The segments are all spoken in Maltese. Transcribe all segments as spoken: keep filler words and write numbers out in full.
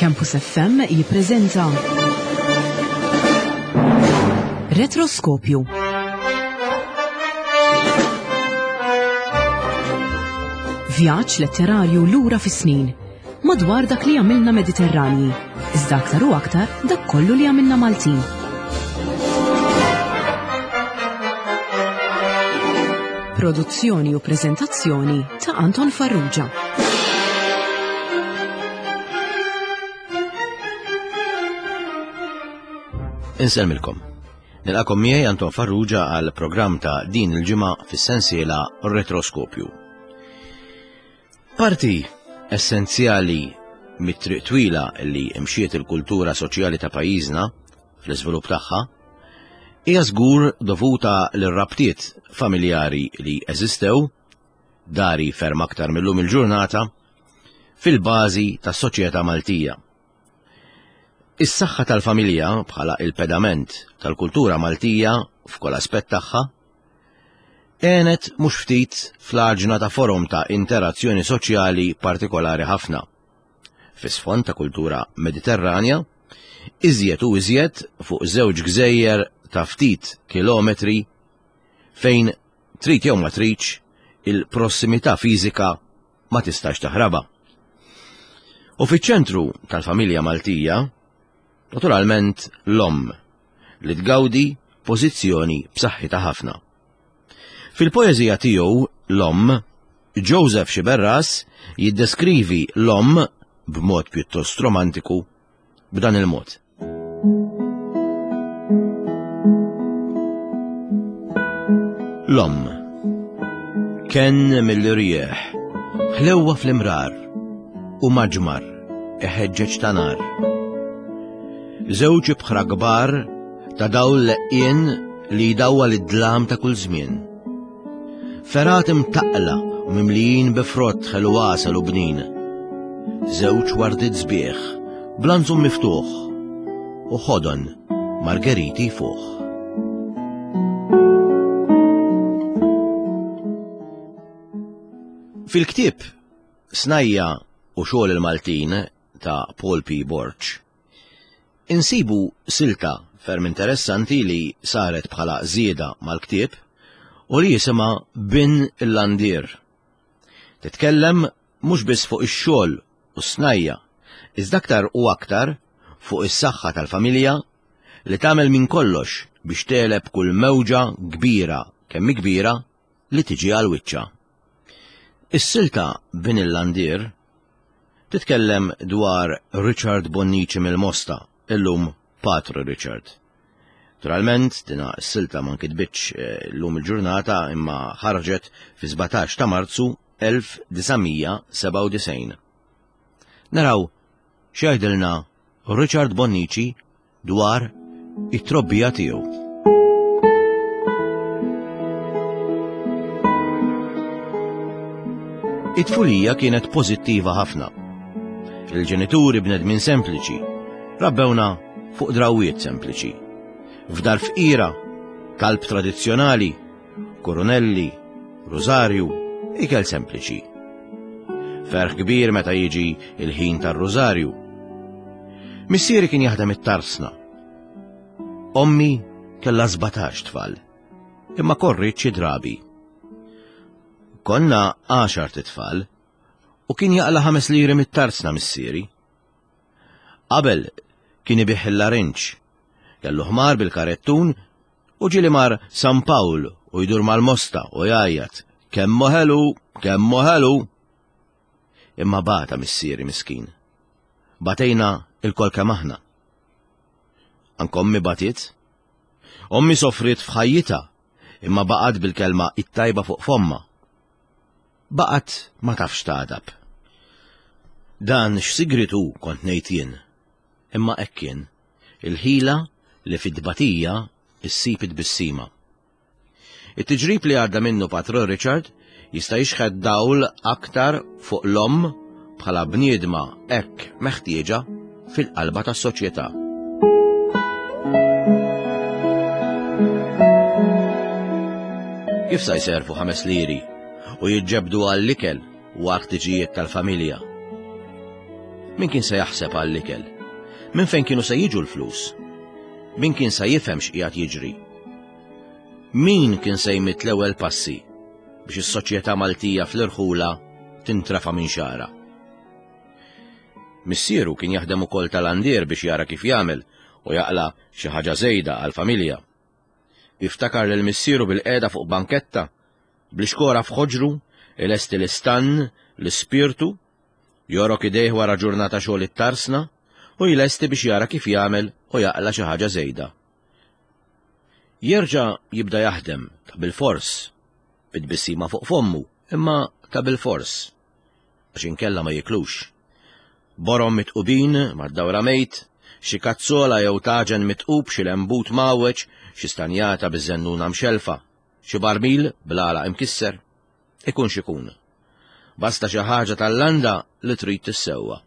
Campus F M jippreżenta Retroskopju. Vjaġġ letterarju lura fis-snin, madwar dak li għamilna Mediterranji, iżda aktar u aktar dak kollu li għamilna Maltin. Produzzjoni u preżentazzjoni ta' Anton Farrugia. Insellmilkom. Nilqakom miegħi Anton Farrugia għal programm ta' din il-ġimgħa fis-sensiela Retroskopju. Parti essenzjali mit-triq twila li mxiet il-kultura soċjali ta' pajjiżna fl-iżvilupp tagħha hija żgur dovuta lir-rabtiet familjari li eżistew, dari ferm aktar millum il-ġurnata, fil-bażi tas-soċjetà Maltija. Is-saħħa tal-familja bħala il-pedament tal-kultura Maltija f'kull aspett tagħha għenet mhux ftit fl-għaġna ta' forom ta' interazzjoni soċjali partikolari ħafna. Fis-sfond ta' kultura Mediterranja, iżjed u iżjed fuq żewġ gżejjer ta' ftit kilometri fejn trid jew ma tridx il-prossimità fiżika ma tistax taħrabha. U fiċ-ċentru tal-familja Maltija, naturalment l-omm li tgawdi pożizzjoni b'saħħitha ħafna. Fil-poeżija tiegħu l-omm, Joseph Sciberras jiddeskrivi l-omm b'mod pjuttost romantiku b'dan il-mod. L-omm ken mill-irjieħ, ħlewwa fl-imrar u maġmar iħeġġeġ ta' nar. Żewġ ibħra kbar ta' dawl leqien li jdawwal id-dlam ta' kull żmien. Ferat imtaqla u mimlijin bi frott ħelu għasel u bnin. Żewġ wardiet sbieħ, blanzum miftuħ u ħodon margeriti fuq. Fil-ktieb Snajja u xogħol il-Maltin ta' Paul P. Borg, insibu silta ferm interessanti li saret bħala żieda mal-ktieb u li jisimha Bin il-Landier. Titkellem mhux biss fuq ix-xogħol u s-snajja, iżda aktar u aktar fuq is-saħħa tal-familja li tagħmel minn kollox biex tegħleb kull mewġa kbira kemm kbira li tiġi għal wiċċha. Is-silta Bin il-Landier titkellem dwar Richard Bonnici mill-Mosta, illum Patru Richard. Naturalment, dina s-silta ma nkitbitx, eh, llum il-ġurnata imma ħarġet fi sbatax ta' Marzu elf disa' sebgħa u disgħin. Naraw x'jgħidilna Richard Bonnici dwar it-trobbija tiegħu. It-tfulija kienet pożittiva ħafna. Il-ġenituri bnedmin sempliċi, rabbewna fuq drawiet sempliċi. F'dar fqira, talb tradizzjonali, koronelli, rużarju, ikel sempliċi. Ferħ kbir meta jiġi il-ħin tar-rużarju. Missieri kien jaħdem it-tarsna. Ommi kellha sbatax tfal, imma korriet xi drabi. Konna għaxar titfal u kien jaqla ħames liri mit-tarsna missieri. Qabel kien ibih il-larinġ, kellu ħmar bil-karettun u ġieli mar San Pawl u jdur mal-mosta u jgħajjat kemm ħelu, kemm ħelu. Imma bata missieri miskin. Batejna il-kol kemm aħna. Anke ommi batiet. Ommi sofriet f'ħajjitha imma baqgħet bil-kelma it-tajba fuq fomma. Baqgħet ma tafx tagħdab. Dan x'sigritu kont ngħid jien. Imma hekk kien, il-ħila li fid-tbatija issib it-tbissima. It-tiġrib li għadda minnu Patru Richard jista' jixħet dawl aktar fuq l-omm bħala bniedma hekk meħtieġa fil-qalba tas-soċjetà. Kif sa jservu ħames liri u jiġġebdu għall-ikel u għal ħtiġijiet tal-familja? Min kien se jaħseb għall-ikel? Min fejn kienu se jiġu l-flus? Min kien se jifhem x'qiegħed jiġri? Min kien se jmidd l-ewwel passi biex is-soċjetà Maltija fl-irħula tintrafa minn xara? Missieru kien jaħdem ukoll tal-andier biex jara kif jagħmel u jaqla xi ħaġa żejda għall-familja. Jiftakar lil missieru bil-qiegħda fuq banketta, bl-ixkora f'ħoġru, ilesti l-istann, l-ispirtu, jorok idejh wara ġurnata xogħol it-tarsna u jlesti biex jara kif jagħmel u jaqla xi ħaġa żejda. Jerġa' jibda jaħdem ta' bilfors, bit-tbissima fuq fommu, imma ta' bilfors, għax inkella ma jiklux. Borom mitqubin mad-dawra mejt, xi kazzola jew taġen mitqub, xi lembut mawweġ, xi stanjata biż-żennuna mxelfa, xi barmil bl-għalaq imkisser, ikun x'ikun. Basta xi ħaġa tal-landa li trid tissewwa.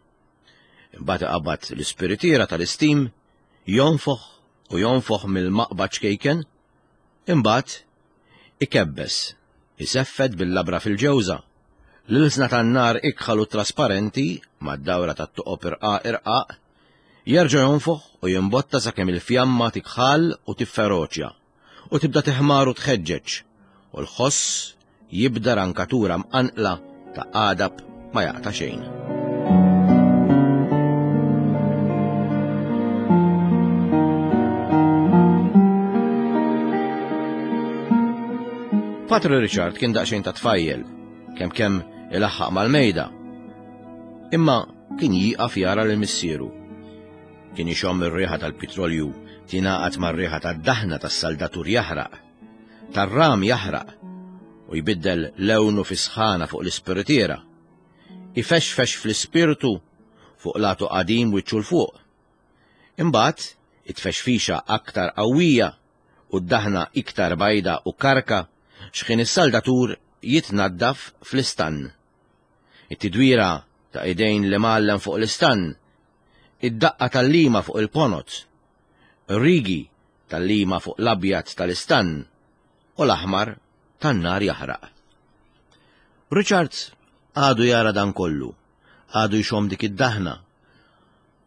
Imbagħad iqabbad l-ispiritiera tal-istim, jonfoħ u jonfoħ mill-maqbad ċkejken, imbagħad ikebbes, iseffed bil-labra fil-ġewża, l-ilsna tan-nar ikħal u trasparenti mad-dawra tat-toqob irqaq irqaq, jerġa' jonfoħ u jimbotta sakemm il-fjamma tikħal u tifferoċja u tibda teħmar u tħeġġeġ, u l-ħoss jibda rankatura mqanqla ta' għadab ma jaqta' xejn. Patri Richard kien daqsxejn ta' tfajjel, kemm kemm ilaħħaq mal-mejda. Imma kien jieqaf jara lil missieru. Kien ixomm ir-riħa tal-petrolju tingħaqad mar-riħa tad-daħna tas-saldatur jaħraq, tar-ram jaħraq, u jbiddel lewnu fi sħana fuq l-ispiritiera. Ifexfex fl-ispirtu fuq latu qadim wiċċu 'l fuq. Imbagħad it-tfexfixa aktar qawwija u d-daħna iktar bajda u karka x'ħin is-saldatur jitnaddaf fl-istann. It-tidwira ta' idejn li mgħallem fuq l-istann, id-daqqa tal-lima fuq il-ponot, rigi tal-lima fuq l-abjad tal-istann u l-aħmar tan-nar jaħraq. Richard għadu jara dan kollu, għadu jxomm dik id-daħna,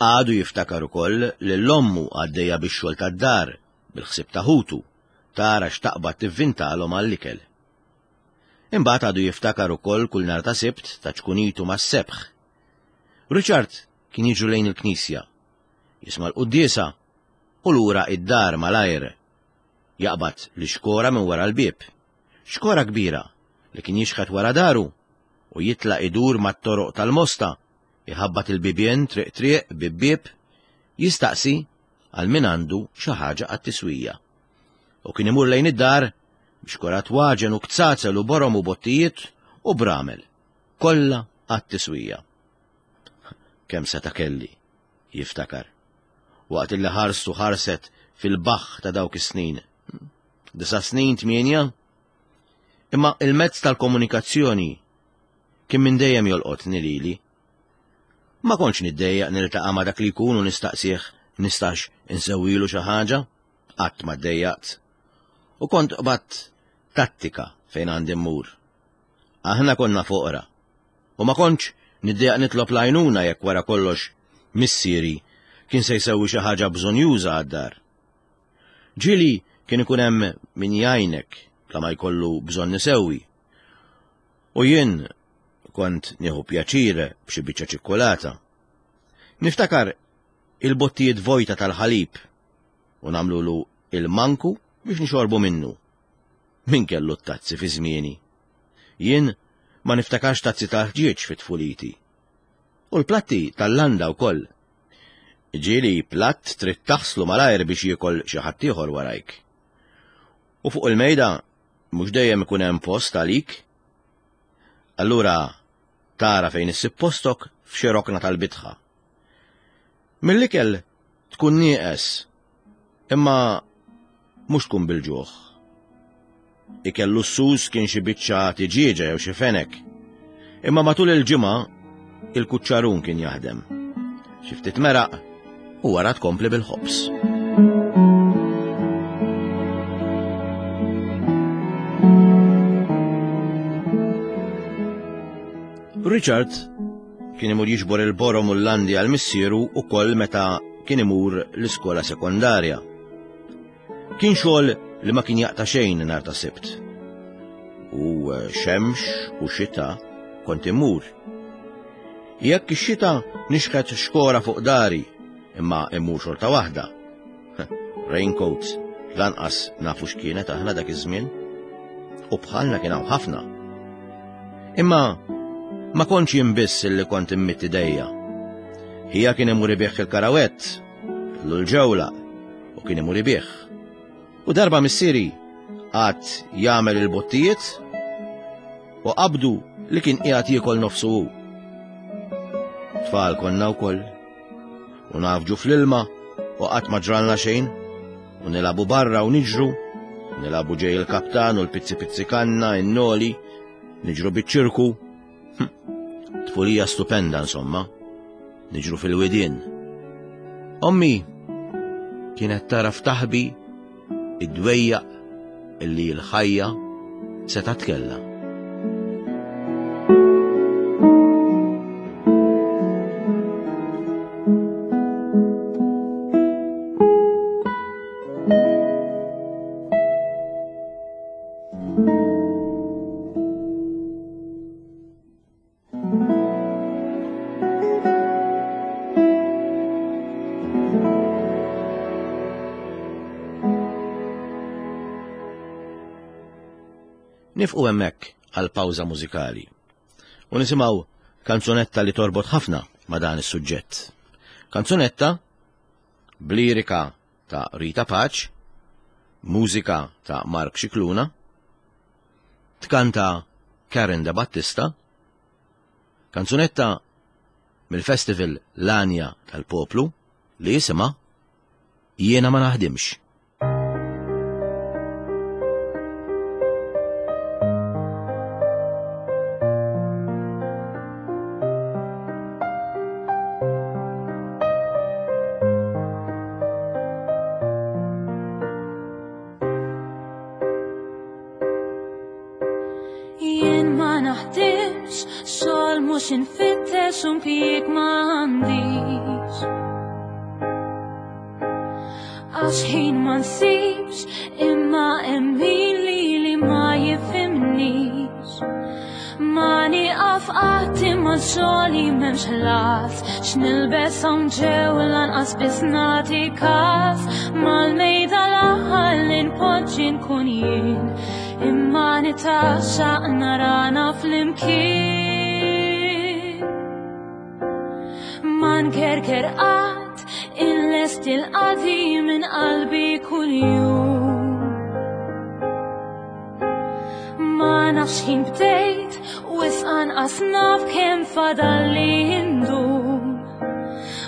għadu jiftakar ukoll lil ommu għaddejja bix-xogħol tad-dar bil-ħsieb ta' ħutu, tara x'taqbad tivvintalhom għall-ikel. Imbagħad għadu jiftakar ukoll kull nhar ta' Sibt ta' ċkunitu mas-sebħ. Richard kien jiġu lejn il-knisja, jisma' l-quddiesa u lura id-dar malajr. Jaqbad l-ixkora minn wara l-bieb, xkora kbira li kien jixħet wara daru u jitlaq idur mat-toroq tal-Mosta, iħabbat il-bibien triq triq bieb bieb, jistaqsi għal min għandu xi ħaġa għat-tiswija. U kien imur lejn id-dar biex kora twaġen u kzazel u borom u bottijiet u bramel, kollha għat-tiswija. Kemm seta' kelli, jiftakar, waqt illi ħarstu ħarset fil-baħħ ta' dawk is-snin. Disa' snin, tmienja? Imma il-mezz tal-komunikazzjoni kien minn dejjem jolqotni lili. Ma kontx niddejjaq niltaqa' ma' dak li jkun u nistaqsih nistax insewwilu xi ħaġa, qatt ma ddejjaqt. U kont qbadt tattika fejn għandi mmur. Aħna konna foqra u ma kontx niddejjaq nitlob l-għajnuna jekk wara kollox missieri kien se jsewwi xi ħaġa bżonjuża għad-dar. Ġieli kien ikun hemm min jgħinek bla ma jkollu bżonn isewwi. U jien kont nieħu pjaċir b'xi biċċa ċikkulata. Niftakar il-bottijiet vojta tal-ħalib u nagħmlulu il-manku biex nixorbu minnu. Min kellu t-tazzi fi żmieni? Jien ma niftakarx tazzi tal-ħġieġ fi tfuliti. U l-platti tal-landa wkoll. Ġieli platt trid taħslu malajr biex jiekol xi ħadd ieħor warajk. U fuq il-mejda mhux dejjem ikun hemm post għalik. Allura tara fejn issib postok f'xi rokna tal-bitħa. Mill-ikel tkun nieqes, imma mhux tkun bil-ġuħ. Ikel lussuż kien xi biċċa tiġieġa jew xi fenek. Imma matul il-ġimgħa il-kuċċarun kien jaħdem. Xi ftit meraq u wara tkompli bil-ħobż. Richard Kien imur jiġbor il-borom u l-landi għal missieru ukoll meta kien imur l-iskola sekondarja. Kien xogħol li ma kien jaqta' xejn nhar ta' Sibt. U xemx u xita kont immur. Jekk ix-xita nixħet xkora fuq dari, imma immur xorta waħda. Raincoats, lanqas nafu x'kienet aħna dak iż-żmien. U bħalna kien hawn ħafna. Imma ma kontx jien biss illi kont immitt idejja. Ħija kien imur ibigħ il-karawett, kellu l-ġewla, u kien imur ibigħ. U darba missieri għad jagħmel il-bottijiet u qabdu li kien qiegħed jiekol nofsu hu. Tfal konna wkoll u nafġu fl-ilma u qatt ma ġralna xejn u nilagħbu barra u niġru, nilagħbu ġej il-kaptan u l-pizzi pizzi kanna, in-noli, niġru biċ-ċirku. Tfulija stupenda insomma, niġru fil-widien. Ommi kienet taraf taħbi id-dwejjaq illi l-ħajja setgħet kellha. Nifqu hemmhekk għal pawża mużikali u nisimgħu kanzunetta li torbot ħafna ma' dan is-suġġett. Kanzunetta b'lirika ta' Rita Pace, mużika ta' Mark Scicluna, tkanta Karen De Battista, kanzunetta mill-festival L-Għanja tal-Poplu li jisimha Jiena ma naħdimx. Jien ma naħdimx, xogħol mhux infittex u mpjieg ma għandix. Għax ħin ma nsibx, imma hemm min lili ma jifhimnix. Ma nieqaf qatt imma xogħli m'hemmx ħlas, x'nilbes hawn ġew lanqas biss nagħti każ. Mal-mejda l-aħħar li npoġġi nkun jien, imma nitaxxaq narana flimkien. Ma nkerker qatt inlest il-qadi minn qalbi kuljum. Ma nafx ħin bdejt u wisq anqas naf kemm fadalli ndum.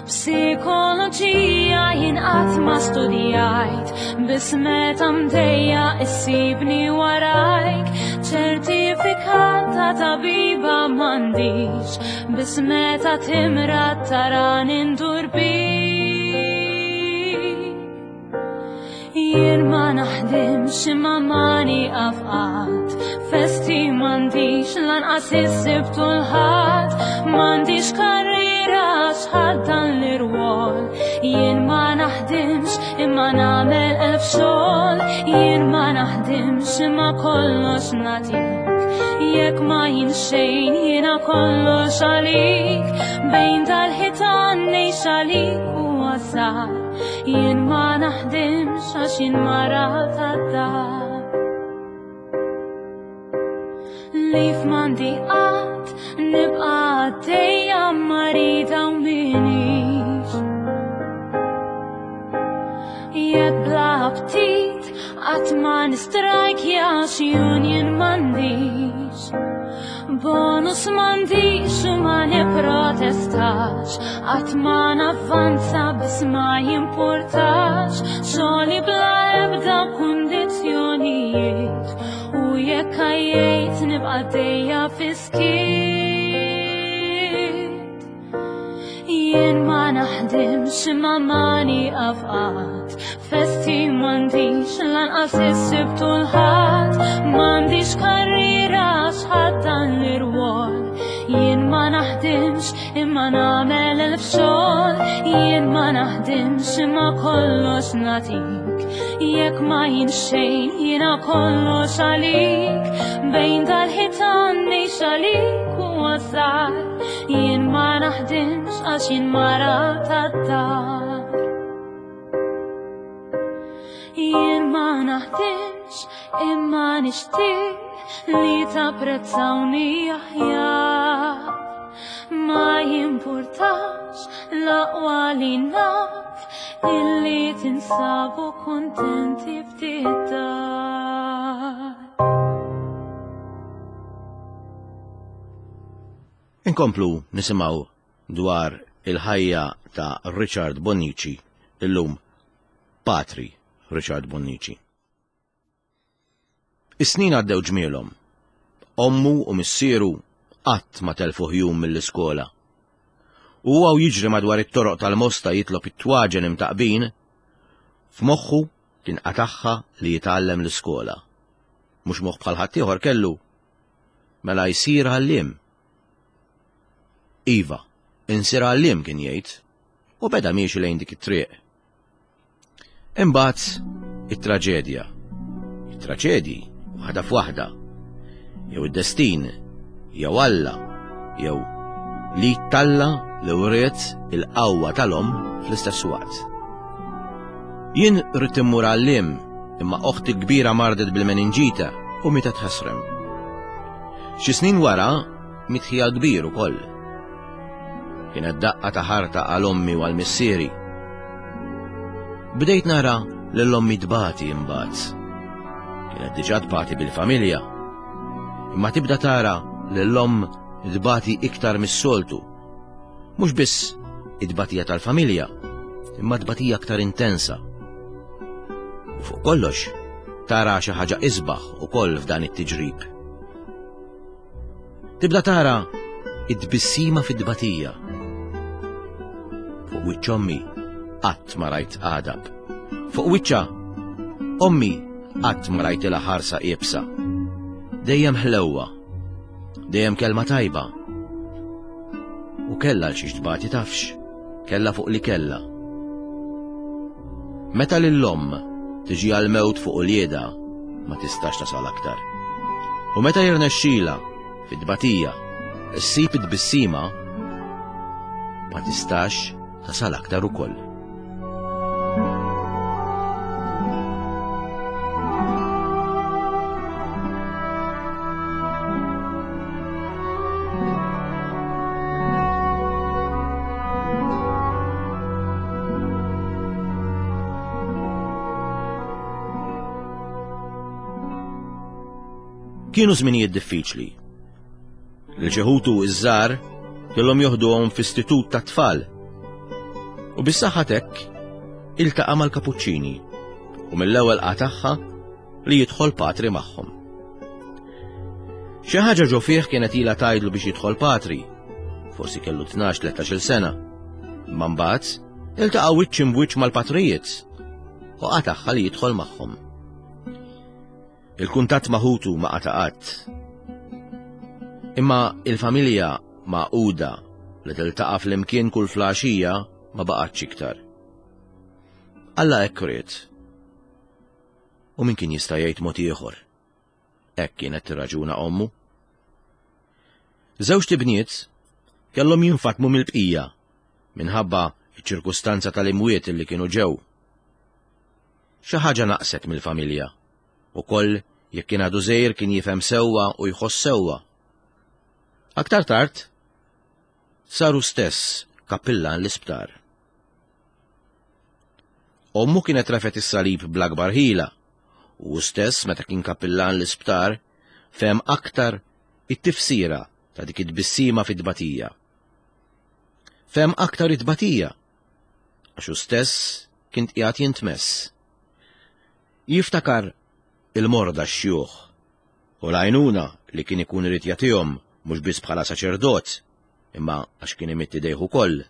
Psikoloġija jien qatt ma studjajt, biss meta mdejja issibni warajk. Ċertifikat ta' tabiba m'għandix, biss meta timrad tarani ndur bik. Jien ma naħdimx imma ma nieqaf qatt, festi m'għandix lanqas is-Sibt u l-Ħadd, m'għandix karriera għax ħadd dan l-irwol. Jien ma naħdimx imma nagħmel elf xogħol, jien ma naħdimx imma kollox nagħtik. Jekk ma jien xejn jiena kollox għalik, bejn dal-ħitan ngħix għalik u għasar. Jien ma naħdimx għax jien mara tad-dar. Lif m'għandi qatt nibqa' għaddejja marida u minix. Jekk bla aptit qatt ma nistrajkja xi union m'għandix. Bonus m'għandix u ma nipprotestax, qatt ma navvanza biss ma jimpurtax. Xogħli bla ebda kundizzjonijiet, u jekk għajjejt nibqa' għaddejja fis-skiet. Jien ma naħdimx imma ma nieqaf qatt, festi m'għandix lanqas is-Sibt u l-Ħadd, m'għandix karriera għax ħadd dan l-irwol. Jien ma naħdimx imma Imma nagħmel elf xogħol, jien ma naħdimx imma kollox nagħtik. Jekk ma jien xejn, jiena kollox għalik. Bejn dal-ħitan ngħix għalik u għażar. Jien ma naħdimx għax jien mara tad-dar. Jien ma naħdimx imma nixtieq li tapprezzawni aħjar. Ma jimpurtax l-aqwa li naf illi tinsabu kuntenti ftit dar. Inkomplu nisimgħu dwar il-ħajja ta' Richard Bonnici, illum Patri Richard Bonnici. Is-snin għaddew ġmielhom. Ommu u missieru qatt ma telfu jum mill-iskola. U huwa jiġri madwar it-toroq tal-Mosta jitlob it-twaġen imtaqbin, f'moħħu kien qataħħa li jitgħallem l-iskola. Mhux moħħ bħal ħaddieħor kellu, mela jsir għalliem. Iva, insir għalliem kien jgħid, u beda miexi lejn dik it-triq. Imbagħad it-traġedja. It-traġedji waħda f'waħda. Jew id-destin, jew Alla, jew li talla li wriet il-qawwa tal-omm fl-istess waqt. Jien rrid immur għalliem, imma oħti kbira mardet bil-meninġita u mietet ħasrem. Xi snin wara miet ħija kbir ukoll. Kienet daqqa ta' ħarta għal ommi u għal missieri. Bdejt nara lil ommi tbati imbagħad. Kienet diġà tbati bil-familja. Imma tibda tara lil omm tbati iktar mis-soltu. Mhux biss it-tbatija tal-familja, imma tbatija aktar intensa. U fuq kollox, tara xi ħaġa isbaħ ukoll f'dan it-tiġrib. Tibda tara it-tbissima fit-tbatija. Fuq wiċċ ommi qatt ma rajt għadab. Fuq wiċċha ommi qatt ma rajtilha ħarsa iebsa. Dejjem ħlewwa, dejjem kelma tajba. U kellha għal xiex tbati tafx, kellha fuq li kellha. Meta lill-omm tiġi għal-mewt fuq uliedha, ma tistax tasal aktar. U meta jirnexxila fit-tbatija issib it-tbissima, ma tistax tasal aktar ukoll. Kienu żminijiet diffiċli. Lil xi ħutu iż-żgħar kellhom joħduhom f'istitut ta' tfal. U bis-saħħa t'hekk iltaqa' mal-Kapuċċini u mill-ewwel qatagħha li jidħol patri magħhom. Xi ħaġa ġo fih kienet ilha tgħidlu biex jidħol patri, forsi kellu tnax tlettax-il sena. Imma mbagħad iltaqa' wiċċ imbwiċċ mal-patrijiet u qatagħha li jidħol magħhom. Il-kuntatt ma' ħutu ma qata' qatt. Imma il-familja magħquda li tiltaqa' flimkien kull flaxija ma baqgħetx iktar. Alla hekk ried. U min kien jista' jgħid mod ieħor? Hekk kienet tirraġuna ommu. Żewġt ibniet kellhom jinfatmu mill-bqija minħabba ċ-ċirkustanza tal-imwiet li kienu ġew. Xi ħaġa naqset mill-familja. Ukoll jekk kien għadu żgħir kien jifhem sewwa u jħoss sewwa. Aktar tard saru stess kappillan l-isptar. Ommu kienet rafet is-salib bl-akbar ħila u stess meta kien kappillan l-isptar fehem aktar it-tifsira ta' dik it-tbissima fit-tbatija. Fehem aktar it-tbatija għax hu stess kien qiegħed jintmess. Jiftakar il-morda x-xjuħ u l-għajnuna li kien ikun irid jagħtihom mhux biss bħala saċerdot, imma għax kien imitt idejh ukoll.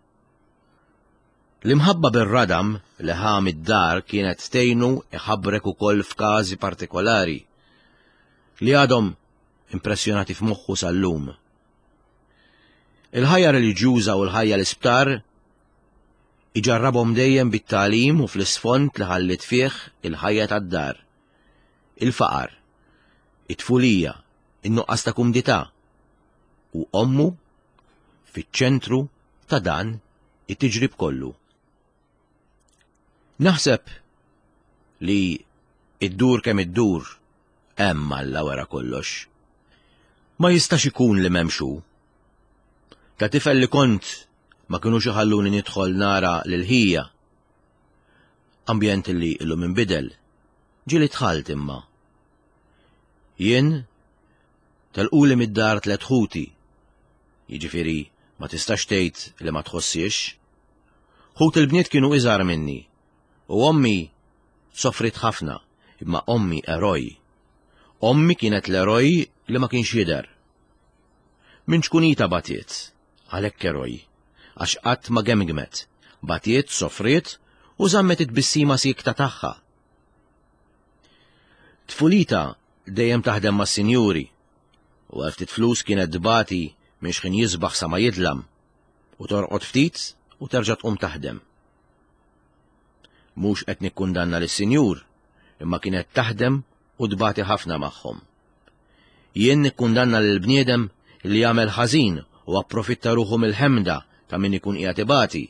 L-imħabba bir-radam li ħa mid-dar kienet tgħinu iħabrek ukoll f'każi partikolari li għadhom impressjonati f'moħħu sal-lum. Il-ħajja reliġjuża u l-ħajja l-isptar iġarrabhom dejjem bit-tagħlim u fl-isfond li ħallit fih il-ħajja tad-dar. Il-faqar, it-tfulija, in-nuqqas ta' kumdità u ommu fiċ-ċentru ta' dan it-tiġrib kollu. Naħseb li iddur kemm iddur hemm Alla wara kollox. Ma jistax ikun li m'hemmx hu. Ta' tifel li kont ma kinux iħalluni nidħol nara lil ħija. Ambjent li illum inbidel, ġieli dħalt imma. Jien telquli mid-dar tliet ħuti, jiġifieri ma tistax tgħid li ma tħossiex. Ħut il-bniet kienu iżgħar minni u ommi sofrit ħafna, imma ommi eroj. Ommi kienet l-eroj li ma kienx jidher. Minn ċkunita batiet, għalhekk eroj, għax qatt ma gemgmet, batiet, sofriet u żammet it-tbissima siekta tagħha. Tfulita dejjem taħdem mas-sinjuri u għal ftit flus kienet tbati minn xħin jisbaħ sa ma jidlam u torqod ftit u terġa' tqum taħdem. Mhux qed nikkundanna lis-sinjur, imma kienet taħdem u tbati ħafna magħhom. Jien nikkundanna lill-bniedem li jagħmel ħażin u approfitta ruħu mill-ħemda ta' min ikun qiegħed ibati.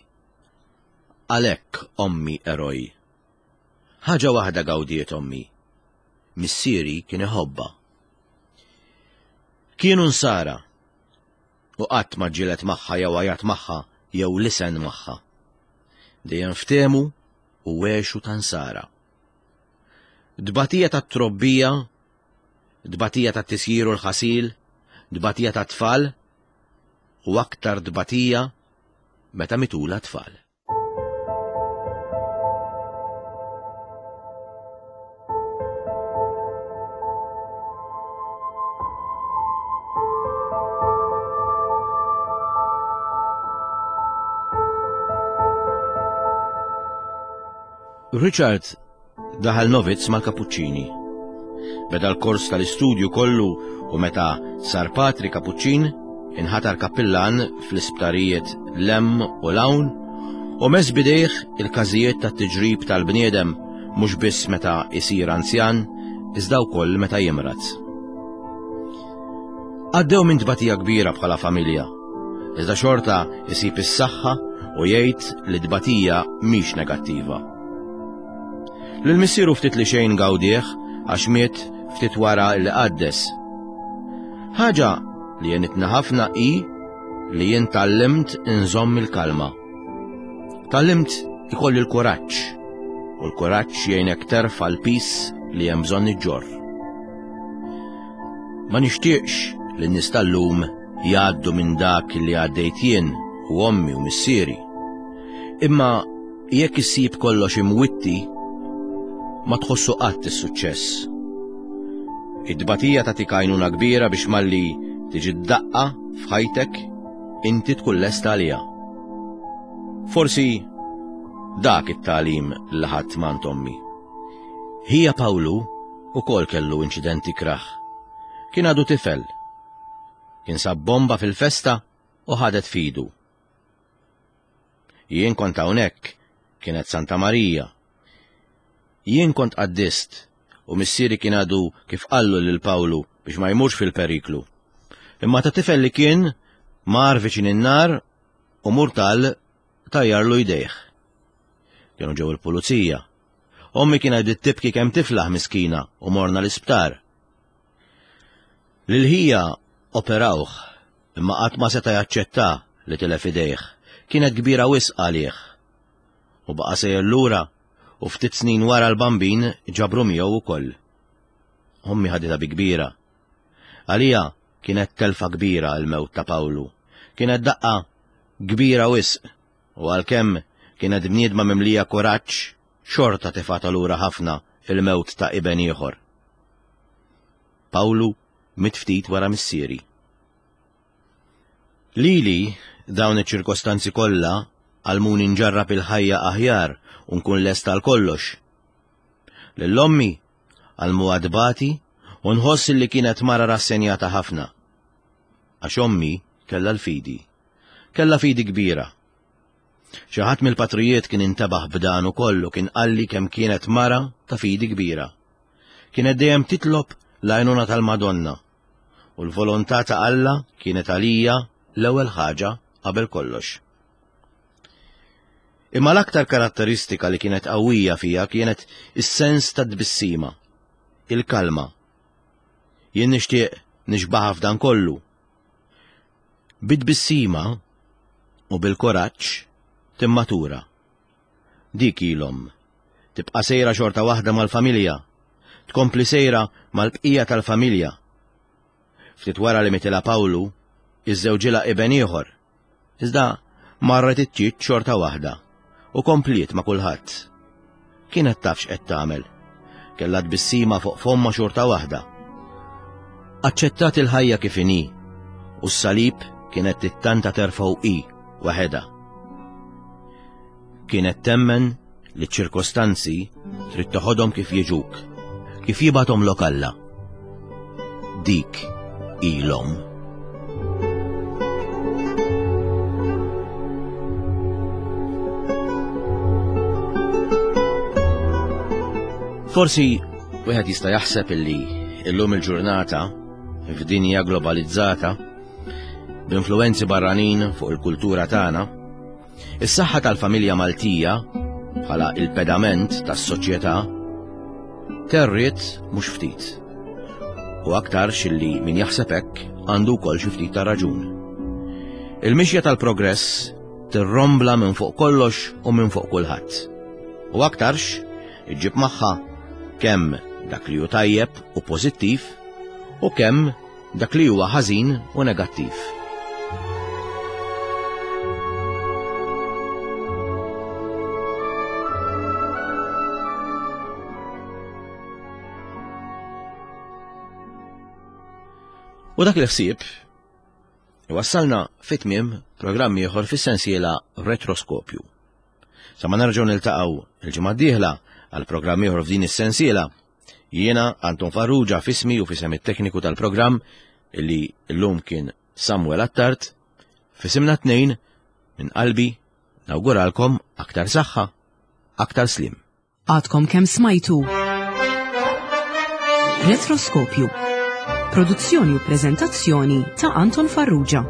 Għalhekk ommi eroj. Ħaġa waħda gawdiet ommi. Missieri kien iħobbha. Kienu nsara u qatt ma ġġieled magħha jew għajat magħha jew lisen magħha. Dejjem ftehmu u għexu ta' nsara. Dbatija tat-trobbija, dbatija tat-tisjir u l-ħasil, dbatija tat-tfal u aktar dbatija meta mitula tfal. Richard daħal novizz mal-Kapuċċini. Beda l-kors tal-istudju kollu u meta sar patri Kapuċċin, inħatar kappillan fl-isptarijiet l-hemm u l-hawn u mess bidejh il-każijiet tat-tiġrib tal-bniedem mhux biss meta isir anzjan, iżda wkoll meta jimrad. Għaddew minn tbatija kbira bħala familja, iżda xorta isib is-saħħa u jgħid li tbatija mhix negattiva. Lil missieru ftit li xejn gawdih għax miet ftit wara li qaddes. Ħaġa li għenitna ħafna hi li jien tgħallimt inżomm il-kalma. Tgħallimt ikolli l-kuraġġ u l-kuraġġ jgħinek terfa' l-pis li hemm bżonn iġġorr. Ma nixtieqx li n-nies tal-lum jgħaddu minn dak li għaddejt jien u ommi u missieri. Imma jekk issib kollox imwitti, ma tħossu qatt is-suċċess. Id-tbatija tagħtik għajnuna kbira biex malli tiġi d-daqqa f'ħajtek inti tkun lesta għaliha. Forsi dak it-tagħlim li ħadt m'għand ommi. Ħija Pawlu ukoll kellu inċidenti kraħ. Kien għadu tifel. Kien sab bomba fil-festa u ħadet fidu. Jien kont hawnhekk, kienet Santa Marija. Jien kont qaddist u missieri kien għadu kif qallu lil Pawlu biex ma jmurx fil-periklu. Imma ta' tifel li kien mar viċin in-nar u murtal tajjarlu jdejh. Kienu ġew il-pulizija. Ommi kien għadit tibki kemm tiflaħ miskina u morna l-isptar. Lil ħija operawh, imma qatt ma seta' jaċċetta li tilef idejh. Kienet kbira wisq għalih. U baqa' sejjer lura u ftit snin wara l-bambin ġabru miegħu wkoll. Ommi ħaditha bi kbira. Għalija kienet telfa kbira l-mewt ta' Pawlu. Kienet daqqa kbira wisq u għalkemm kienet bniedma mimlija kuraġġ, xorta tefgħatha lura ħafna il-mewt ta' iben ieħor. Pawlu miet ftit wara missieri. Lili dawn iċ-ċirkostanzi kollha għallmuni nġarrab il-ħajja aħjar u nkun lest għal kollox. Lil ommi għallmuha tbati u nħoss li kienet mara rassenjata ħafna. Għax ommi kellha l-fidi. Kellha fidi kbira. Xi ħadd mill-patrijiet kien intebaħ b'dan ukoll u kien qalli kemm kienet mara ta' fidi kbira. Kienet dejjem titlob l-għajnuna tal-Madonna u l-volontà ta' Alla kienet għalija l-ewwel ħaġa qabel kollox. Imma l-aktar karatteristika li kienet qawwija fija kienet is-sens ta' tbissima, il-kalma. Jien nixtieq nixbaħa f'dan kollu. Bit-tbissima u bil-kuraġġ timmatura. Dik ilhom. Tibqa' sejra xorta waħda mal-familja, tkompli sejra mal-bqija tal-familja. Ftit wara li mitilha Pawlu, iżżewġilha iben ieħor. Iżda marret iċ-ċiċ xorta waħda u kompliet ma' kulħadd. Kienet taf x'qed tagħmel. Kellha tbissima fuq fomma xorta waħda. Aċċettat il-ħajja kif inhi u s-salib kienet tittanta terfgħu hi waħedha. Kienet temmen li ċ-ċirkostanzi trid toħodhom kif jiġuk, kif jibgħathomlok Alla. Dik ilhom. Forsi wieħed jista' jaħseb illi illum il-ġurnata f'dinja globalizzata b'influwenzi barranin fuq il-kultura tagħna, is-saħħa tal-familja Maltija bħala il-pedament tas-soċjetà terriet mhux ftit. U aktarx illi min jaħseb hekk għandu wkoll xi ftit ta' raġun. Il-mixja tal-progress tirrombla minn fuq kollox u minn fuq kulħadd. U aktarx iġġib magħha kemm dak li hu tajjeb u pożittiv u kemm dak li huwa ħażin u negattiv. U dak il-ħsieb iwassalna fi tmiem programm ieħor fis-sensiela Retroskopju. Sa ma nerġgħu niltaqgħu il-ġimgħa d-dieħla għal programm ieħor f'din is-sensiela, jiena Anton Farrugia f'ismi u f'isem it-tekniku tal-programm illi llum kien Samuel Attard, f'isimna tnejn minn qalbi nawguralkom aktar saħħa, aktar slim. Għadkom kemm smajtu Retroskopju. Produzzjoni u preżentazzjoni ta' Anton Farrugia.